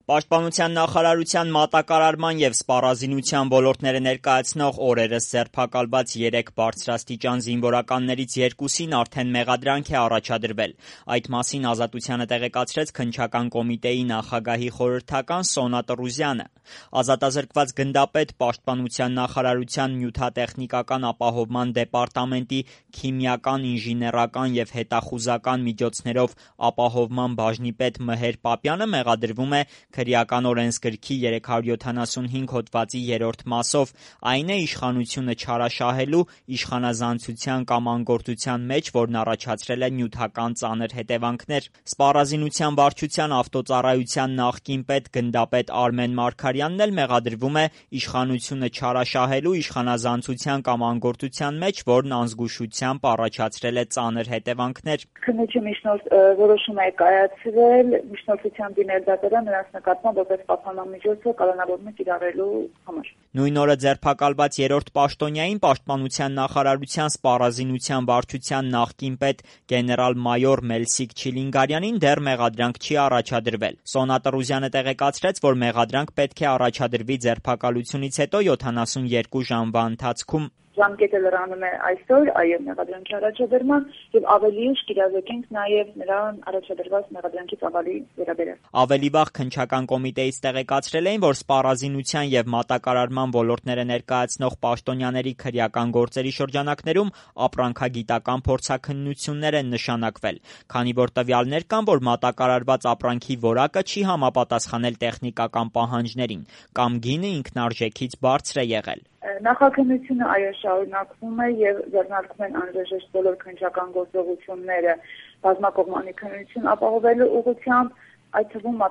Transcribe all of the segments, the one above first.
Պաշտպանության նախարարության մատակարարման և սպառազինության ոլորտները ներկայացնող օրերս ձերբակալված 3 բարձրաստիճան զինվորականներից 2-ին արդեն մեղադրանք է առաջադրվել։ Այդ մասին Ազատությանը տեղեկացրեց Քննչական կոմիտեի նախագահի խորհրդական Սոնա Տրուզյանը։ Ազատազրկված գնդապետ Պաշտպանության նախարարության նյութատեխնիկական ապահովման դեպարտամենտի քիմիական, ինժեներական և հետախուզական միջոցներով ապահովման բաժնի պետ Մհեր Պապյանը մեղադրվում է քրեական օրենսգրքի 375 հոդվածի 3-րդ մասով, այն է իշխանությունը չարաշահելու, իշխանազանցության կամ անգործության մեջ, որն առաջացրել է նյութական ծանր հետևանքներ։ Սպառազինության վարչության ավտոծառայության նախկին պետ գնդապետ Արմեն Մարգարյանն էլ մեղադրվում է իշխանությունը չարաշահելու, իշխանազանցության կամ անգործության մեջ, որն անզգուշությամբ առաջացրել է ծանր հետևանքներ։ Քննիչի միջնորդ որոշում է կայացվել, միջնորդությամբ դիմել դատարան նրանց նկատմամբ որպես պահպանամիջոցը կալանավորումը կիրառելու համար։ Նույն օրը ձերբակալված 3-րդ պաշտոնյային Պաշտպանության նախարարության սպառազինության վարչության նախկին պետ գեներալ-մայոր Մելսիկ Չիլինգարյանին դեռ մեղադրանք չի առաջադրվել։ Սոնա Տրուզյանը տեղեկացրեց, որ մեղադրանք պետք է առաջադրվի ձերբակալությունից հետո 72 ժամվա ընթացքում։ Ժամկետը լրանում է այսօր, մեղադրանքի առաջադրման եւ ավելի ուշ կիրառվենք նաեւ նրան առաջադրված մեղադրանքի ծավալի վերաբերյալ։ Ավելի վաղ Քննչական կոմիտեից տեղեկացրել էին, որ սպառազինության եւ մատակարարման ոլորտները ներկայացնող պաշտոնյաների քրեական գործերի շրջանակներում ապրանքագիտական փորձաքննություններ են նշանակվել, քանի որ տվյալներ կան, որ մատակարարված ապրանքի որակը չի համապատասխանել տեխնիկական պահանջներին կամ գինը ինքնարժեքից բարձր է եղել։ Նախաքննությունը շարունակվում է եւ ձեռնարկվում են անհրաժեշտ բոլոր քննչական գործողությունները բազմակողմանի քննություն ապահովելու ուղղությամբ, այդ թվում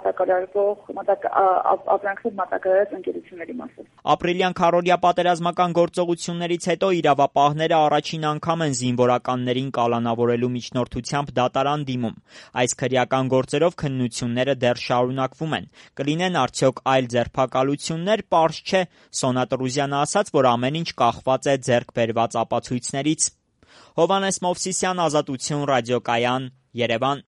ապրանքներ մատակարարած ընկերությունների մասին։ Ապրիլյան քառօրյա պատերազմական գործողություններից հետո իրավապահները առաջին անգամ են զինվորականներին կալանավորելու միջնորդությամբ դատարան դիմում։ Այս քրեական գործերով քննությունները դեռ շարունակվում են։ Կլինեն արդյոք այլ ձերբակալություններ, պարզ չէ։ Սոնա Տրուզյանը ասաց, որ ամեն ինչ կախված է ձեռք բերված ապացույցներից։ Հովհաննես Մովսիսյան, Ազատություն, ռադիոկայան, Երևան։